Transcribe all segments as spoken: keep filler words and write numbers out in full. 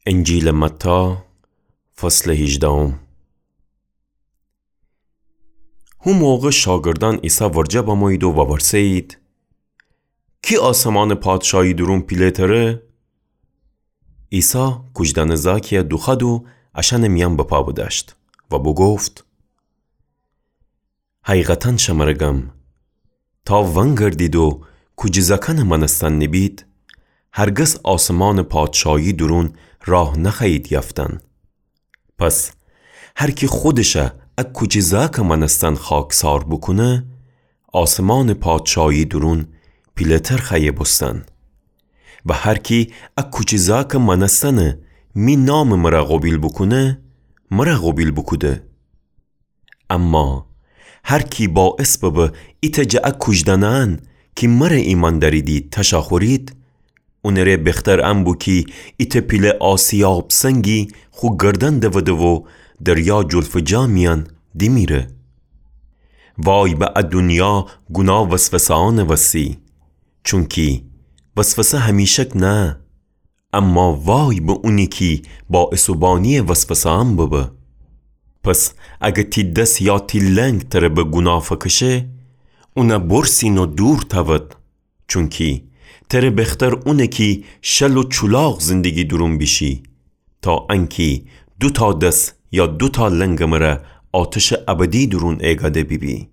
انجیلٚ متی، فصلٚ هیجدهم. هو موقع شاگردأن عیسی ورجه بمویید و وورسه‌یید: کی آسمانٚ پادشاهی دورون پیله‌تره؟ عیسی کوجدأنٚ زأکیی دوخوأد و اشأنٚ میأن بپا بدأشت و بوگفت: حقیقتاً شمر گم، تا ونگردید و کوجی زأکأنٚ مأنستن نیبید، هرگز آسمانٚ پادشاهی دورون راه نخوأیید یأفتن. پس هر کی خودش ا کوجی زأکٚ مأنستن خاکسار بوکونه، آسمانٚ پادشاهی دورون پیله‌تر خوأیه بوستن. و هر کی ا کوجی زأکٚ مأنستن می نامٚ مر قوبیل بوکونه، مر قوبیل بوکوده. اما هر کی باعث ببه ایتأ جٚه ا کوجدأنأن کی مر ایمأن دأریدی تشأ خورید، اونٚ ره بختر ان بو کی ایتأ پیله آسیاب سنگی خو گردن دوده و دریا جلفٚ جا میأن دیمیره. وای به ا دونیا گوناه وسوسه‌أنٚ وستی، چونکی وسوسه همیشک نه، اما وای به اونی کی باعث و بانییٚ وسوسه‌أن ببه. پس اگر تی دس یا تی لنگ تر به گوناه فکشه، اون بورسین و دور تأود، چونکی تر بختر اونه کی شل و چولاق زندگی دورون بیشی، تا انکی دوتا دس یا دوتا لنگٚ مر آتشٚ ابدی دورون ایگأده بیبی.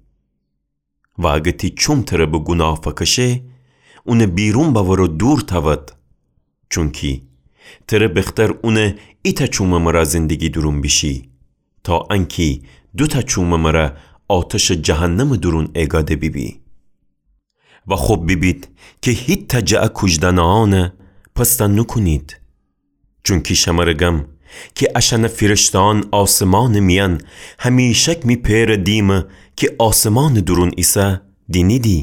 و اگر تی چوم تر به گوناه فکشه، اون بیرون بأور و دور تأود، چونکی تر بختر اون ایتأ چومٚ مر زندگی دورون بیشی، تا انکی دوتا چومٚ مر آتشٚ جهنمٚ دورون ایگأده بیبی. و خب بیبید کی هیتأ جٚه ا کوجدأنأن پست نوکونید. چونکی شمر گم کی اشأنٚ فیرشته‌أن آسمانٚ میأن همیشک می پئرٚ دیمٚ کی آسمانٚ دورون ایسه دینیدی.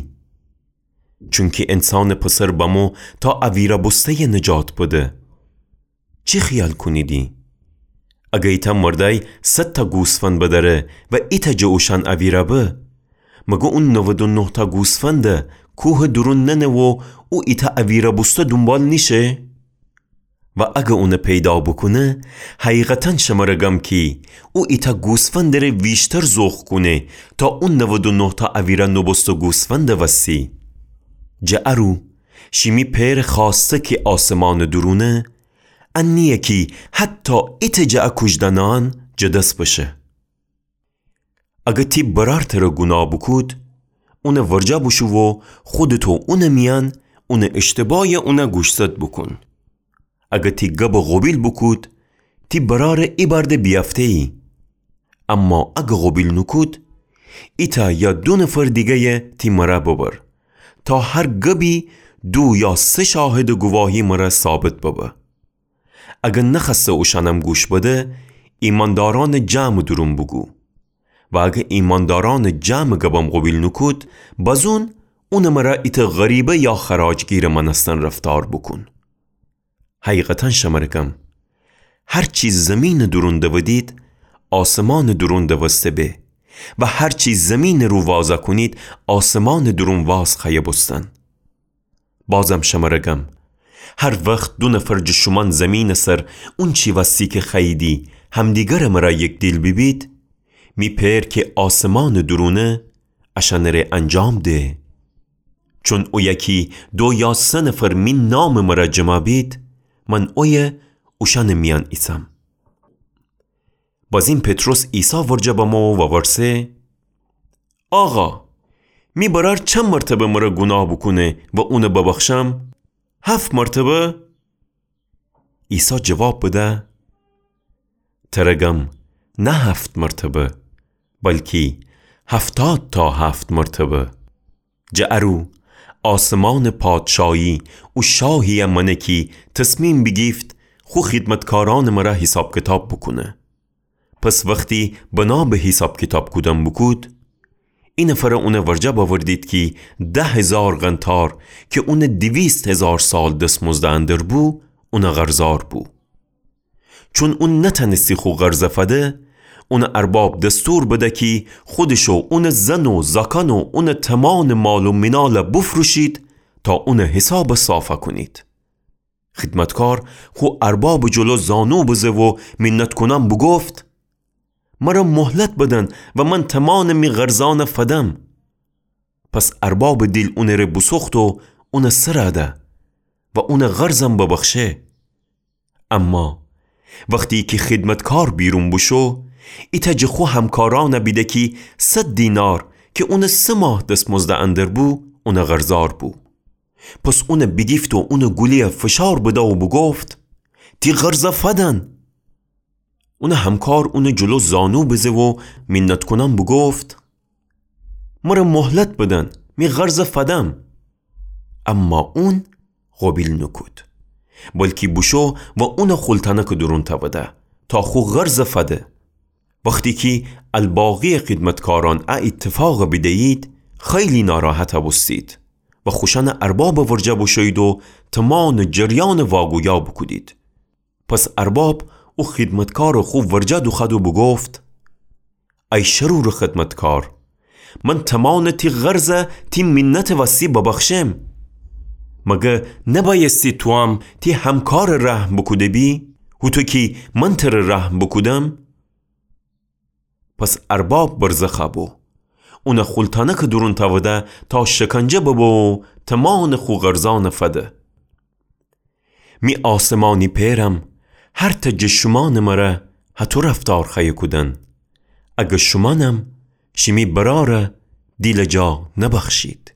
چونکی انسانٚ پسر بمو تا اویرأ بوسته‌یٚ نجات بده. چی خیال کونیدی؟ اگر ایتأ مردأی صدتأ گوسفند بدأره و ایتأ جٚه اوشأن اویرأ به، مگر اون نود و نهتأ گوسفند کوهٚ دورون ننه و او ایتأ اویرأ بوسته دونبال نیشه؟ و اگر اون پیدا بوکونه، حقیقتاً شمر گم کی او ایتأ گوسفندٚ ره ویشتر ذوق کونه تا او نود و نهتأ اویرأ نوبوسته گوسفندٚ وستی. جٚه ارو شیمی پئرٚ خوأسته کی آسمانٚ دورونه، ان نییه کی حتی ایتأ جٚه ا کوجدأنأن جٚه دس بشه. اگر تی برأر تر گوناه بوکود، اون ورجه بوشو و خودت و اونٚ میأن اونٚ اشتباهی اون گوشزد بوکون. اگر تی گب قوبیل بوکود، تی برأر ایبأرده بیأفته‌یی. اما اگر قوبیل نوکود، ایتأ یا دو نفر دیگه‌ی تی مر ببر، تا هر گبی دو یا سه شاهدٚ گواهی مر ثابت ببه. اگر نخوأسته اوشأنم گوش بده، ایمأندارأنٚ جمعٚ دورون بوگو. و اگر ایمأندارأنٚ جمعٚ گبم قوبیل نوکود، بازون اونٚ مر ایتأ غریبه یا خراجگیرٚ مأنستن رفتار بوکون. حقیقتاً شمر گم، هر چی زیمینٚ دورون دودید، آسمانٚ دورون دوسته به، و هر چی زیمینٚ رو وازأ کونید، آسمانٚ دورون واز خوأیه بوستن. بازم شمر گم، هر وخت دو نفر جٚه شومأن زیمینٚ سر اونچی وستی کی خوأییدی همدیگرٚ مر یکدیل بیبید، می پئر کی آسمانٚ دورونه اشأنٚ ره انجام ده. چون اویه کی دو یا سه نفر می نامٚ مر جمع بید، من اویه اوشأنٚ میأن ایسم. بازین پطرس عیسی ورجه بمو و وورسه: آقا، می برأر چند مرتبه مر گوناه بوکونه و اون ببخشم؟ هفت مرتبه؟ عیسی جواب بده: تر گم نه هفت مرتبه، بلکی هفتاد تا هفت مرتبه. جٚه ارو آسمانٚ پادشاهی او شاهیی مأنه کی تصمیم بیگیفت خو خیدمتکارأنٚ مر حیساب کیتاب بوکونه. پس وختی بنا به حیساب کیتاب کودن بوکود، ای نفر اون ورجه بأوردید کی ده هیزار قنطار کی اون دویست هیزار سال دسمزد اندر بو، اون قرضار بو. چون اون نتأنستی خو قرض فده، اونٚ ارباب دستور بده کی خودش و اونٚ زن و زأکأن و اونٚ تومانٚ مال و مینال بوفروشید تا اونٚ حیساب صافأ کونید. خیدمتکار خو اربابٚ جلو زانو بزه و مینت‌کونأن بوگفت: مرا مهلت بدن و من تومانٚ می قرضأن فدم. پس اربابٚ دیل اونٚ ره بوسوخت و اون سرَ ده و اونٚ قرضم ببخشه. اما وختی کی خیدمتکار بیرون بوشو، ایتأ جٚه خو همکارأن بیده کی صد دینار کی اونٚ سه ماه دسمزدٚ اندر بو، اونٚ قرضار بو. پس اون بیگیفت و اونٚ گولی‌یَ فشار بده و بوگفت: تی قرضَ فدن. اونٚ همکار اونٚ جلو زانو بزه و مینت‌کونأن بوگفت: مرا مهلت بدن، می قرضَ فدم. اما اون قوبیل نوکود، بلکی بوشو و اونَ خولتأنکٚ دورون تأوده تا خو قرضَ فده. وختی کی الباقی‌یٚ خیدمتکارأن ا ایتفاقَ بیده‌یید، خیلی ناراحت بوستید و خوشأنٚ اربابٚ ورجه بوشویید و تومانٚ جریانَ واگویا بوکودید. پس ارباب او خیدمتکارَ خو ورجه دوخوأد و بوگفت: ای شرورٚ خیدمتکار، من تومانٚ تی قرضَ تی مینتٚ وستی ببخشم. مگر نبأیستی توام تی همکارَ رحم بوکوده‌بی، هوطو کی من تره رحم بوکودم؟ پس ارباب برزخ بو، اونَ خولتأنکٚ دورون تأوده تا شکنجه ببه و تومانٚ خو قرضأنَ فده. می آسمانی پئرم، هرتأ جٚه شومأنٚ مره هطو رفتار خوأیه کودن، اگر شومأنم شیمی برأرَ دیلٚ جا نبخشید.